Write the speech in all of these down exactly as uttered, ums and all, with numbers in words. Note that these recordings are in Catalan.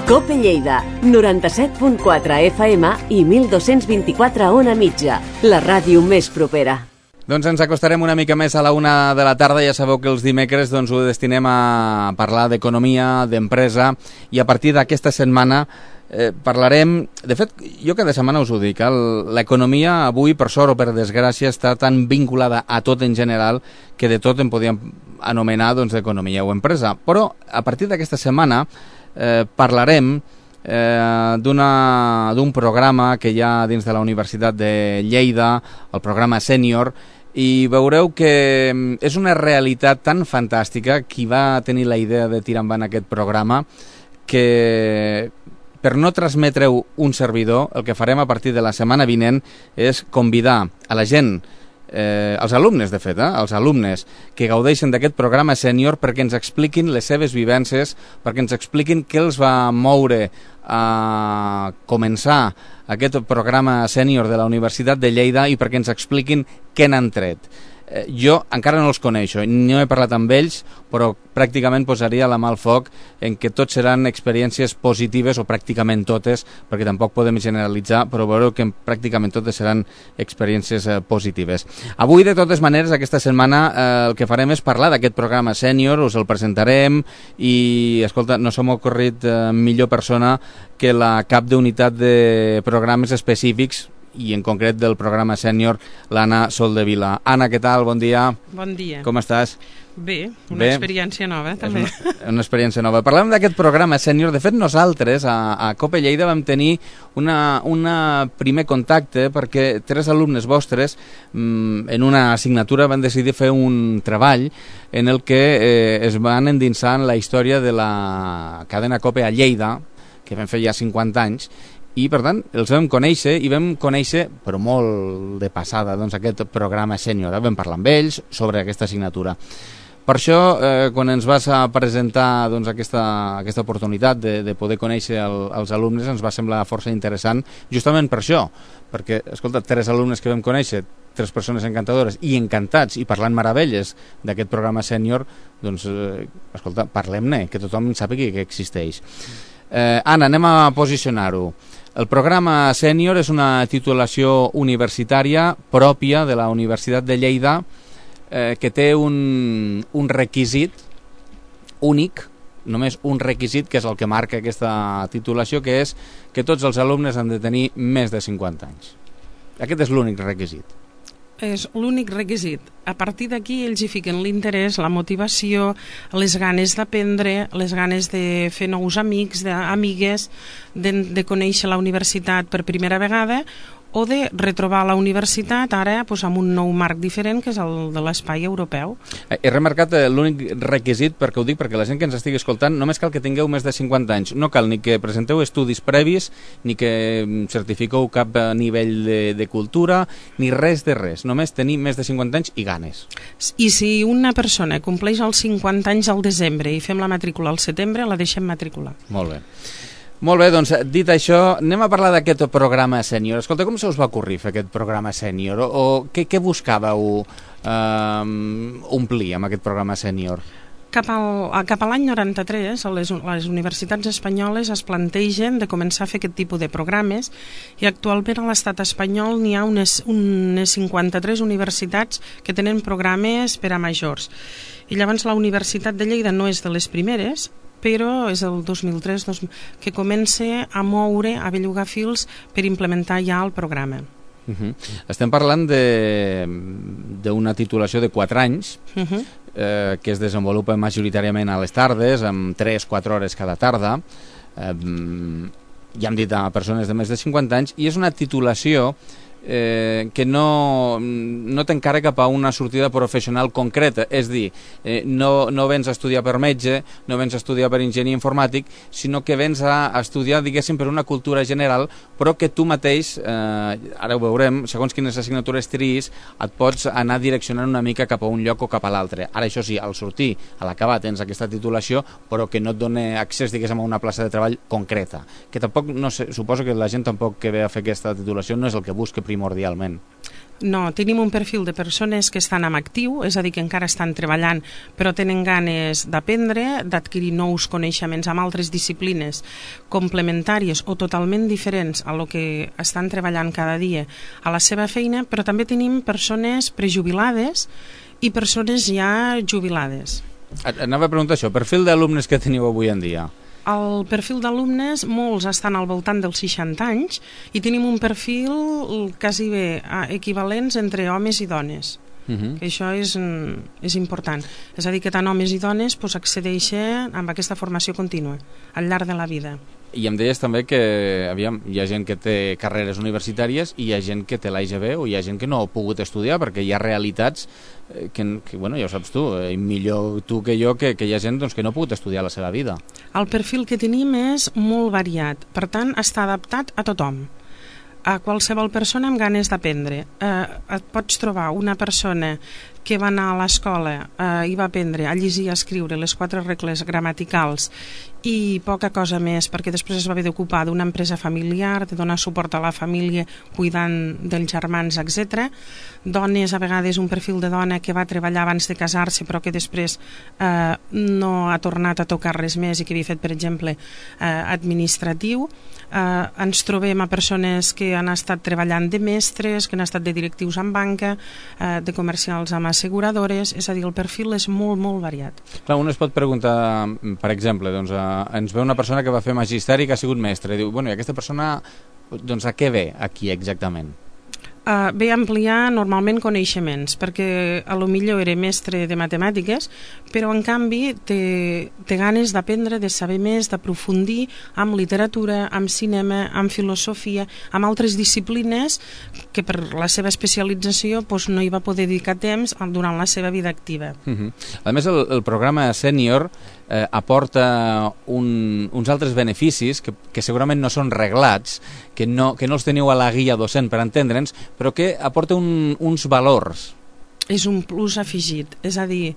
Cope Lleida, noranta-set punt quatre F M i mil dos-cents vint-i-quatre Ona Mitja, la ràdio més propera. Doncs ens acostarem una mica més a la una de la tarda. Ja sabeu que els dimecres doncs, ho destinem a parlar d'economia, d'empresa, i a partir d'aquesta setmana eh, parlarem... De fet, jo cada setmana us ho dic, eh, l'economia avui, per sort o per desgràcia, està tan vinculada a tot en general que de tot en podíem anomenar doncs, economia o empresa. Però a partir d'aquesta setmana eh, parlarem eh, d'un programa que hi ha dins de la Universitat de Lleida, el programa Sènior, i veureu que és una realitat tan fantàstica qui va tenir la idea de tirar endavant aquest programa, que per no transmetre-ho un servidor, el que farem a partir de la setmana vinent és convidar a la gent, eh, els alumnes de fet, eh, els alumnes que gaudeixen d'aquest programa sènior, perquè ens expliquin les seves vivències, perquè ens expliquin què els va moure a començar aquest programa sènior de la Universitat de Lleida i perquè ens expliquin què n'han tret. Eh, jo encara no els coneixo, no he parlat amb ells, però pràcticament posaria la mà al foc en que tots seran experiències positives, o pràcticament totes, perquè tampoc podem generalitzar, però veureu que pràcticament totes seran experiències eh, positives. Avui, de totes maneres, aquesta setmana eh, el que farem és parlar d'aquest programa sènior, us el presentarem i, escolta, no se m'ha ocorrit eh, millor persona que la cap d'unitat de programes específics i en concret del programa sènior, l'Anna Soldevila. Anna, què tal? Bon dia. Bon dia. Com estàs? Bé, una Bé. experiència nova, també. És una, una experiència nova. Parlem d'aquest programa sènior. De fet, nosaltres, a, a Cope Lleida, vam tenir una, una primer contacte perquè tres alumnes vostres, mmm, en una assignatura, van decidir fer un treball en el que eh, es van endinsar en la història de la cadena Cope a Lleida, que vam fer ja cinquanta anys, i per tant els vam conèixer i vam conèixer, però molt de passada, doncs, aquest programa sènior. Vam parlar amb ells sobre aquesta assignatura. Per això, eh, quan ens vas a presentar doncs, aquesta, aquesta oportunitat de, de poder conèixer el, els alumnes, ens va semblar força interessant, justament per això, perquè, escolta, tres alumnes que vam conèixer, tres persones encantadores i encantats i parlant meravelles d'aquest programa sènior, doncs, eh, escolta, parlem-ne, que tothom sàpiga que existeix. Eh, Anna, anem a posicionar-ho. El programa sènior és una titulació universitària pròpia de la Universitat de Lleida eh, que té un, un requisit únic, només un requisit, que és el que marca aquesta titulació, que és que tots els alumnes han de tenir més de cinquanta anys. Aquest és l'únic requisit. És l'únic requisit. A partir d'aquí ells hi fiquen l'interès, la motivació, les ganes d'aprendre, les ganes de fer nous amics, d'amigues, de, de conèixer la universitat per primera vegada, o de retrobar la universitat ara doncs, amb un nou marc diferent, que és el de l'espai europeu. He remarcat l'únic requisit, perquè ho dic, perquè la gent que ens estigui escoltant només cal que tingueu més de cinquanta anys. No cal ni que presenteu estudis previs, ni que certifiqueu cap nivell de, de cultura, ni res de res. Només tenir més de cinquanta anys i ganes. I si una persona compleix els cinquanta anys al desembre i fem la matrícula al setembre, la deixem matricular. Molt bé. Molt bé, doncs, dit això, anem a parlar d'aquest programa sènior. Escolta, com se us va ocorrir fer aquest programa sènior? O, o què, què buscàveu eh, omplir amb aquest programa sènior? Cap, al, cap a l'any noranta-tres, les, les universitats espanyoles es plantegen de començar a fer aquest tipus de programes, i actualment a l'estat espanyol n'hi ha unes, unes cinquanta-tres universitats que tenen programes per a majors. I llavors la Universitat de Lleida no és de les primeres, però és el dos mil tres que comença a moure, a bellugar fils per implementar ja el programa. Uh-huh. Estem parlant d'una titulació de quatre anys, uh-huh. eh, que es desenvolupa majoritàriament a les tardes, amb tres quatre hores cada tarda. Eh, ja hem dit a persones de més de cinquanta anys, i és una titulació Eh, que no, no t'encara cap a una sortida professional concreta, és dir, eh, no, no vens a estudiar per metge, no vens a estudiar per enginyer informàtic, sinó que vens a estudiar, diguéssim, per una cultura general, però que tu mateix, eh, ara ho veurem, segons quines assignatures triïs, et pots anar direccionant una mica cap a un lloc o cap a l'altre. Ara, això sí, al sortir, a l'acabar tens aquesta titulació, però que no et dona accés, diguéssim, a una plaça de treball concreta, que tampoc, no sé, suposo que la gent tampoc que ve a fer aquesta titulació no és el que busca primer primordialment. No, tenim un perfil de persones que estan en actiu, és a dir, que encara estan treballant, però tenen ganes d'aprendre, d'adquirir nous coneixements amb altres disciplines complementàries o totalment diferents a lo que estan treballant cada dia a la seva feina, però també tenim persones prejubilades i persones ja jubilades. Anava a preguntar això, perfil d'alumnes que teniu avui en dia. El perfil d'alumnes, molts estan al voltant dels seixanta anys i tenim un perfil quasi bé equivalents entre homes i dones. Uh-huh. Que això és, és important. És a dir, que tant homes i dones pues, accedeixen amb aquesta formació contínua al llarg de la vida. I em deies també que aviam, hi ha gent que té carreres universitàries i hi ha gent que té l'A I G B o hi ha gent que no ha pogut estudiar perquè hi ha realitats que, que bueno, ja ho saps tu, eh, millor tu que jo, que, que hi ha gent doncs, que no ha pogut estudiar la seva vida. El perfil que tenim és molt variat, per tant està adaptat a tothom, a qualsevol persona amb ganes d'aprendre. Eh, et pots trobar una persona que va anar a l'escola eh, i va aprendre a llegir i a escriure les quatre regles gramaticals i poca cosa més, perquè després es va haver d'ocupar d'una empresa familiar, de donar suport a la família cuidant dels germans, etcètera. Dones, a vegades un perfil de dona que va treballar abans de casar-se però que després eh, no ha tornat a tocar res més i que havia fet, per exemple, eh, administratiu. Eh, ens trobem a persones que han estat treballant de mestres, que han estat de directius en banca, eh, de comercials amb asseguradores, és a dir, el perfil és molt, molt variat. Clar, un es pot preguntar, per exemple, doncs, eh, ens ve una persona que va fer magisteri que ha sigut mestre, i diu, bueno, i aquesta persona, doncs, a què ve aquí exactament? Uh, ve a ampliar normalment coneixements, perquè a lo millor era mestre de matemàtiques, però en canvi té, té ganes d'aprendre, de saber més, d'aprofundir amb literatura, amb cinema, amb filosofia, amb altres disciplines que per la seva especialització doncs, no hi va poder dedicar temps durant la seva vida activa. Uh-huh. A més, el, el programa sènior eh, aporta un, uns altres beneficis que, que segurament no són reglats, que no, que no els teniu a la guia docent per entendre'ns, però que aporta un, uns valors. És un plus afegit, és a dir,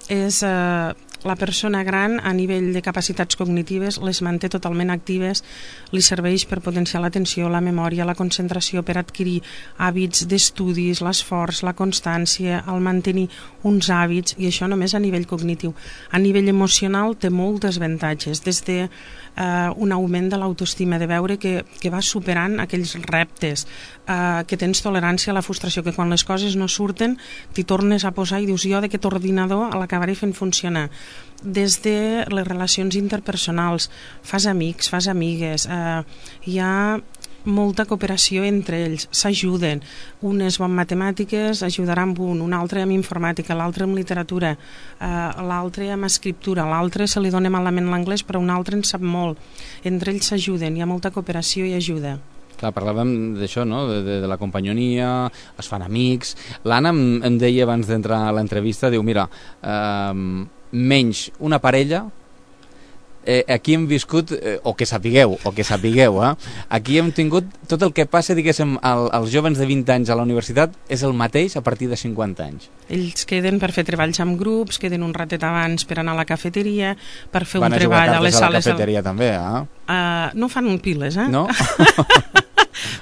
és eh, la persona gran a nivell de capacitats cognitives les manté totalment actives, li serveix per potenciar l'atenció, la memòria, la concentració, per adquirir hàbits d'estudis, l'esforç, la constància, el mantenir uns hàbits, i això només a nivell cognitiu. A nivell emocional té moltes avantatges, des de eh, un augment de l'autoestima, de veure que, que vas superant aquells reptes, eh, que tens tolerància a la frustració, que quan les coses no surten t'hi tornes a posar i dius, jo d'aquest ordinador l'acabaré fent funcionar. Des de les relacions interpersonals, fas amics, fas amigues, eh, hi ha molta cooperació entre ells, s'ajuden, un és bon en matemàtiques, ajudarà amb un, un altre amb informàtica, l'altre amb literatura, eh, l'altre amb escriptura, l'altre se li dona malament l'anglès però un altre en sap molt, entre ells s'ajuden, hi ha molta cooperació i ajuda. Clar, parlàvem d'això, no? de, de, de la companyonia, es fan amics. L'Anna em, em deia abans d'entrar a l'entrevista, diu, mira, eh, menys una parella, eh, aquí hem viscut, eh, o que sapigueu, o que sapigueu, eh? Aquí hem tingut tot el que passa, diguéssim, al, als jovens de vint anys a la universitat és el mateix a partir de cinquanta anys. Ells queden per fer treballs amb grups, queden un ratet abans per anar a la cafeteria, per fer Van un treball a les sales... Van a jugar cartes a la sales... cafeteria també, eh? Uh, no fan piles, eh? No?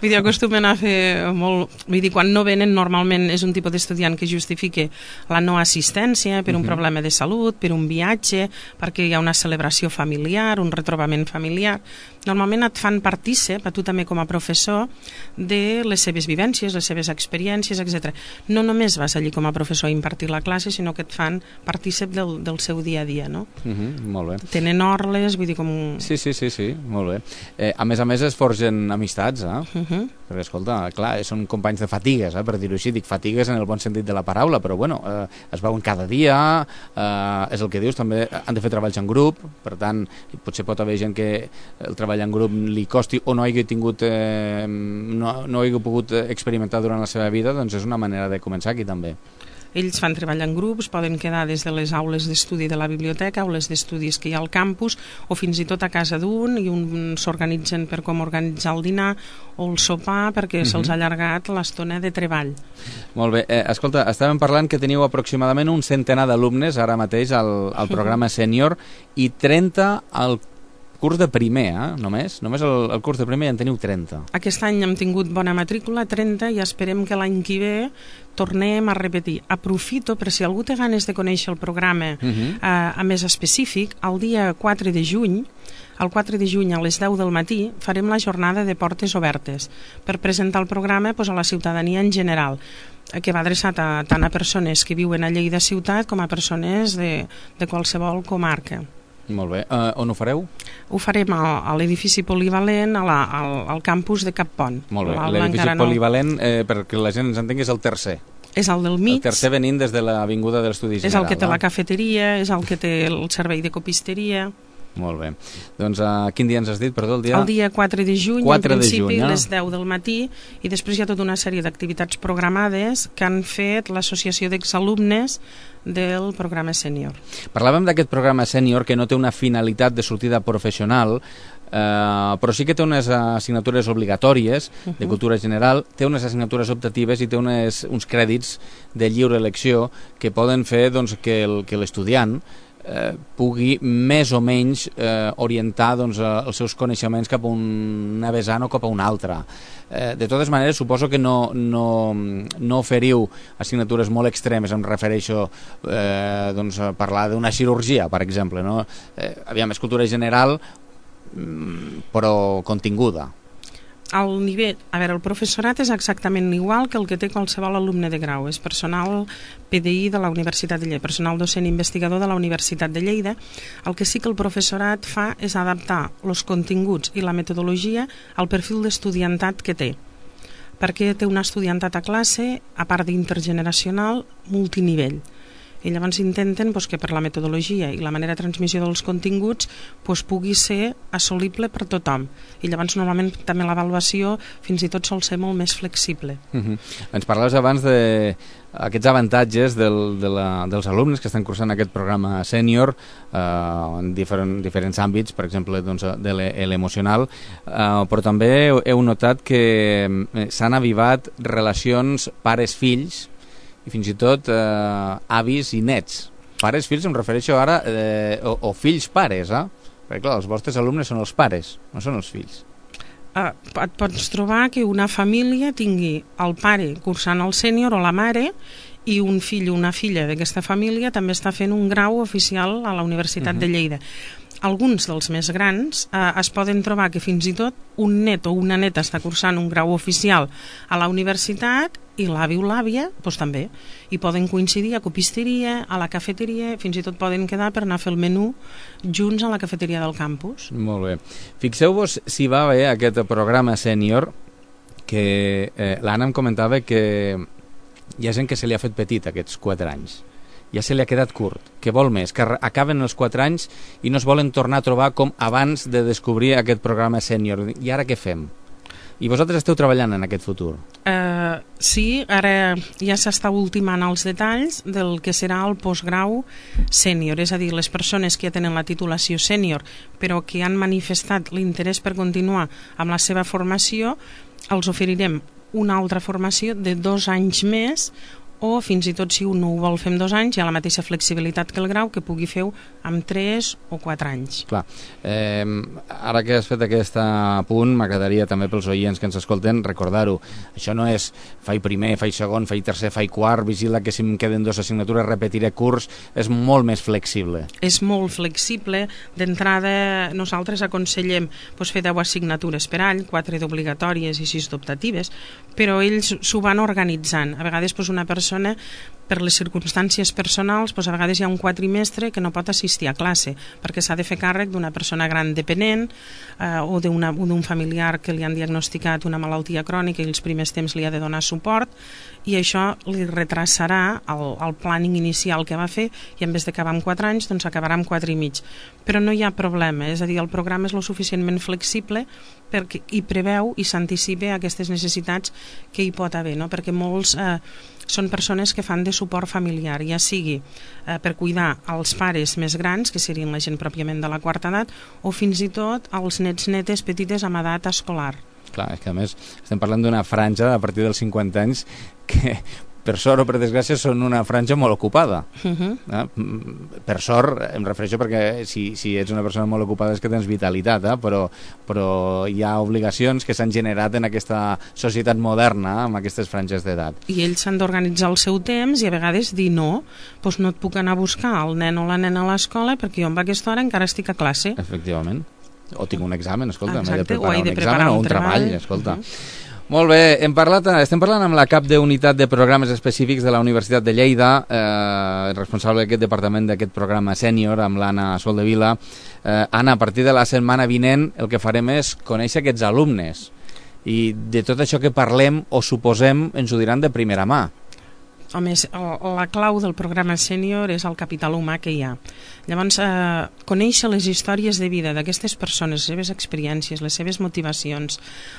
Vull dir, acostumen a fer molt... Vull dir, quan no venen, normalment és un tipus d'estudiant que justifique la no assistència per un uh-huh. problema de salut, per un viatge, perquè hi ha una celebració familiar, un retrobament familiar. Normalment et fan partícip, a tu també com a professor, de les seves vivències, les seves experiències, etcètera. No només vas allí com a professor a impartir la classe, sinó que et fan partícip del, del seu dia a dia, no? Uh-huh, molt bé. Tenen orles, vull dir, com... Sí, sí, sí, sí, molt bé. Eh, a més a més es forgen amistats, eh? Uh-huh. Perquè, escolta, clar, són companys de fatigues, eh? Per dir-ho així, dic fatigues en el bon sentit de la paraula, però bueno, eh, es veuen cada dia, eh, és el que dius, també han de fer treballs en grup, per tant, potser pot haver gent que el treball en grup li costi o no hagi tingut eh, no, no hagi pogut experimentar durant la seva vida, doncs és una manera de començar aquí també. Ells fan treball en grups, poden quedar des de les aules d'estudi de la biblioteca, aules d'estudis que hi ha al campus, o fins i tot a casa d'un, i un s'organitzen per com organitzar el dinar o el sopar, perquè uh-huh. se'ls ha allargat l'estona de treball. Molt bé. Eh, escolta, estàvem parlant que teniu aproximadament un centenar d'alumnes ara mateix al, al programa sènior i trenta al curs de primer, eh? Només, només el, el curs de primer ja en teniu trenta. Aquest any hem tingut bona matrícula, trenta, i esperem que l'any que ve tornem a repetir. Aprofito, per si algú té ganes de conèixer el programa uh -huh. eh, a més específic, el dia quatre de juny, el quatre de juny a les deu del matí farem la jornada de portes obertes per presentar el programa doncs, a la ciutadania en general, que va adreçat a, tant a persones que viuen a Lleida ciutat com a persones de, de qualsevol comarca. Molt bé. Uh, on ho fareu? Ho farem a, a l'edifici polivalent, a la, al, al campus de Cap Pont. Molt bé. L'edifici polivalent, eh, perquè la gent ens entengui, és el tercer. És el del mig. El tercer venint des de l'Avinguda de l'Estudi General. És el que té va? la cafeteria, és el que té el servei de copisteria. Molt bé. Doncs uh, quin dia ens has dit, perdó? El dia, el dia quatre de juny, quatre en principi, de juny, eh? les deu del matí, i després hi ha tota una sèrie d'activitats programades que han fet l'Associació d'Exalumnes del programa sènior. Parlàvem d'aquest programa sènior que no té una finalitat de sortida professional, eh, però sí que té unes assignatures obligatòries uh -huh. de cultura general, té unes assignatures optatives i té unes, uns crèdits de lliure elecció que poden fer doncs, que el, que l'estudiant Eh, pugui més o menys eh, orientar doncs, eh, els seus coneixements cap a una vessant o cap a una altra. Eh, de totes maneres, suposo que no, no, no oferiu assignatures molt extremes, em refereixo eh, doncs, a parlar d'una cirurgia, per exemple. No? Eh, aviam, és cultura general, però continguda. El nivell, a veure, el professorat és exactament igual que el que té qualsevol alumne de grau. És personal P D I de la Universitat de Lleida, personal docent investigador de la Universitat de Lleida. El que sí que el professorat fa és adaptar els continguts i la metodologia al perfil d'estudiantat que té. Perquè té un estudiantat a classe, a part d'intergeneracional, multinivell. I llavors intenten doncs, que per la metodologia i la manera de transmissió dels continguts doncs, pugui ser assolible per tothom. I llavors normalment també l'avaluació fins i tot sol ser molt més flexible. Uh-huh. Ens parlaves abans d'aquests avantatges del, de la, dels alumnes que estan cursant aquest programa sènior eh, en diferent, diferents àmbits, per exemple doncs, de l'emocional, eh, però també heu notat que s'han avivat relacions pares-fills i fins i tot eh, avis i nets. Pares, fills, em refereixo ara, eh, o, o fills-pares, eh? Perquè clar, els vostres alumnes són els pares, no són els fills. Uh, et pots trobar que una família tingui el pare cursant el sènior o la mare i un fill o una filla d'aquesta família també està fent un grau oficial a la Universitat uh-huh. de Lleida. Alguns dels més grans eh, es poden trobar que fins i tot un net o una neta està cursant un grau oficial a la universitat i l'avi o l'àvia doncs també. I poden coincidir a copisteria, a la cafeteria, fins i tot poden quedar per anar a fer el menú junts a la cafeteria del campus. Molt bé. Fixeu-vos si va bé aquest programa sènior, que eh, l'Anna em comentava que hi ha gent que se li ha fet petit aquests quatre anys. Ja se li ha quedat curt, que vol més, que acaben els quatre anys i no es volen tornar a trobar com abans de descobrir aquest programa sènior. I ara què fem? I vosaltres esteu treballant en aquest futur? Uh, sí, ara ja s'està ultimant els detalls del que serà el postgrau sènior, és a dir, les persones que ja tenen la titulació sènior però que han manifestat l'interès per continuar amb la seva formació, els oferirem una altra formació de dos anys més, o fins i tot si un no ho vol fer en dos anys hi ha la mateixa flexibilitat que el grau que pugui fer amb tres o quatre anys. Clar, eh, ara que has fet aquest punt m'agradaria també pels oients que ens escolten recordar-ho, això no és faig primer, faig segon, faig tercer, faig quart, vigila que si em queden dues assignatures repetiré curs, és molt més flexible. És molt flexible, d'entrada nosaltres aconsellem doncs, fer deu assignatures per any, quatre d'obligatòries i sis d'optatives, però ells s'ho van organitzant, a vegades doncs, una persona per les circumstàncies personals, doncs a vegades hi ha un quatrimestre que no pot assistir a classe perquè s'ha de fer càrrec d'una persona gran dependent eh, o d'un familiar que li han diagnosticat una malaltia crònica i els primers temps li ha de donar suport i això li retrasarà el, el planning inicial que va fer i en vez d'acabar amb quatre anys doncs acabarà amb quatre i mig. Però no hi ha problema, és a dir, el programa és lo suficientment flexible perquè hi preveu i s'anticipa aquestes necessitats que hi pot haver, no? Perquè molts eh, són persones que fan de suport familiar, ja sigui eh, per cuidar els pares més grans, que serien la gent pròpiament de la quarta edat, o fins i tot els nets netes petites amb edat escolar. Clar, és que a més estem parlant d'una franja a partir dels cinquanta anys que per sort o per desgràcia, són una franja molt ocupada. Uh -huh. eh? Per sort, em refereixo perquè si, si ets una persona molt ocupada és que tens vitalitat, eh? però, però hi ha obligacions que s'han generat en aquesta societat moderna, amb aquestes franges d'edat. I ells s'han d'organitzar el seu temps i a vegades dir no, doncs no et puc anar a buscar el nen o la nena a l'escola perquè jo amb aquesta hora encara estic a classe. Efectivament. O tinc un examen, escolta, Exacte, m'he de preparar he de un preparar examen un o un treball, treball. escolta. Uh-huh. Molt bé, hem parlat, estem parlant amb la cap d'unitat de programes específics de la Universitat de Lleida, eh, responsable d'aquest departament d'aquest programa sènior, amb l'Anna Soldevila. Eh, Anna, a partir de la setmana vinent el que farem és conèixer aquests alumnes i de tot això que parlem o suposem ens ho diran de primera mà. Home, la clau del programa sènior és el capital humà que hi ha. Llavors, eh, conèixer les històries de vida d'aquestes persones, les seves experiències, les seves motivacions,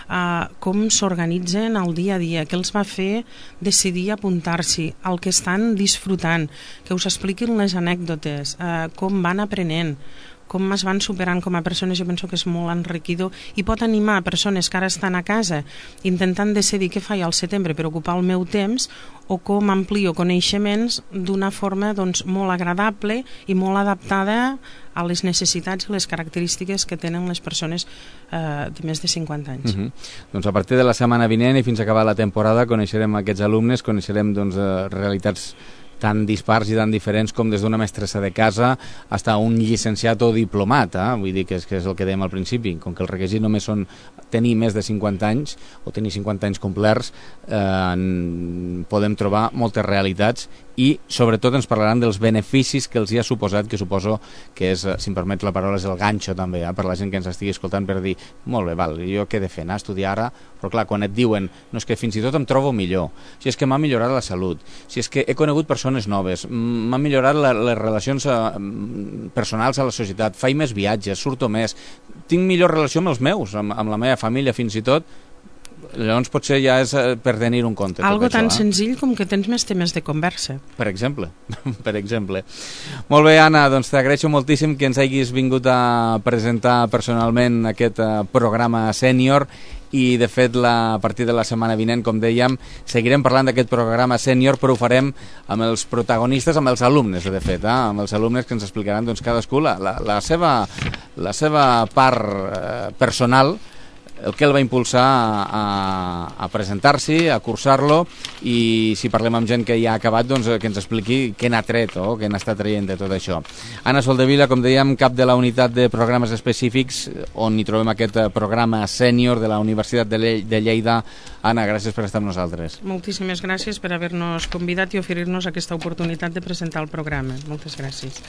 eh, com s'organitzen el dia a dia, què els va fer decidir apuntar-s'hi, el que estan disfrutant, que us expliquin les anècdotes, eh, com van aprenent, com es van superant com a persones, jo penso que és molt enriquidor i pot animar a persones que ara estan a casa intentant decidir què faig al setembre per ocupar el meu temps o com amplio coneixements d'una forma doncs, molt agradable i molt adaptada a les necessitats i les característiques que tenen les persones eh, de més de cinquanta anys. Uh-huh. Doncs a partir de la setmana vinent i fins a acabar la temporada coneixerem aquests alumnes, coneixerem doncs, eh, realitats tan dispars i tan diferents com des d'una mestressa de casa fins a un llicenciat o diplomat, eh? Vull dir que és, que és el que dèiem al principi, com que els requisits només són tenir més de cinquanta anys o tenir cinquanta anys complerts, eh, podem trobar moltes realitats i sobretot ens parlaran dels beneficis que els hi ha suposat, que suposo que és, si em permets la paraula, és el ganxo també, eh? Per la gent que ens estigui escoltant, per dir, molt bé, val, jo què he de fer, anar a estudiar ara? Però clar, quan et diuen, no, és que fins i tot em trobo millor, si és que m'ha millorat la salut, si és que he conegut persones noves, m'han millorat la, les relacions uh, personals a la societat, faig més viatges, surto més, tinc millor relació amb els meus, amb, amb la meva família fins i tot, llavors potser ja és per tenir un compte. Algo tot tan això, eh? senzill com que tens més temes de conversa. Per exemple, per exemple. Molt bé, Anna, doncs t'agraeixo moltíssim que ens hagis vingut a presentar personalment aquest uh, programa sènior i de fet la, a partir de la setmana vinent, com dèiem, seguirem parlant d'aquest programa sènior, però ho farem amb els protagonistes, amb els alumnes, de fet, eh? Amb els alumnes que ens explicaran doncs, cadascú la, la, la, seva, la seva part eh, personal, el que el va impulsar a, a presentar-s'hi, a cursar-lo, i si parlem amb gent que ja ha acabat, doncs que ens expliqui què n'ha tret o què n'està traient de tot això. Anna Soldevila, com dèiem, cap de la unitat de programes específics, on hi trobem aquest programa sènior de la Universitat de, Le de Lleida. Anna, gràcies per estar amb nosaltres. Moltíssimes gràcies per haver-nos convidat i oferir-nos aquesta oportunitat de presentar el programa. Moltes gràcies.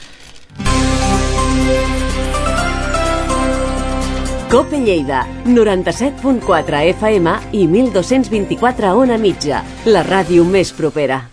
Cope Lleida, noranta-set punt quatre F M i mil dos-cents vint-i-quatre Ona Mitja, la ràdio més propera.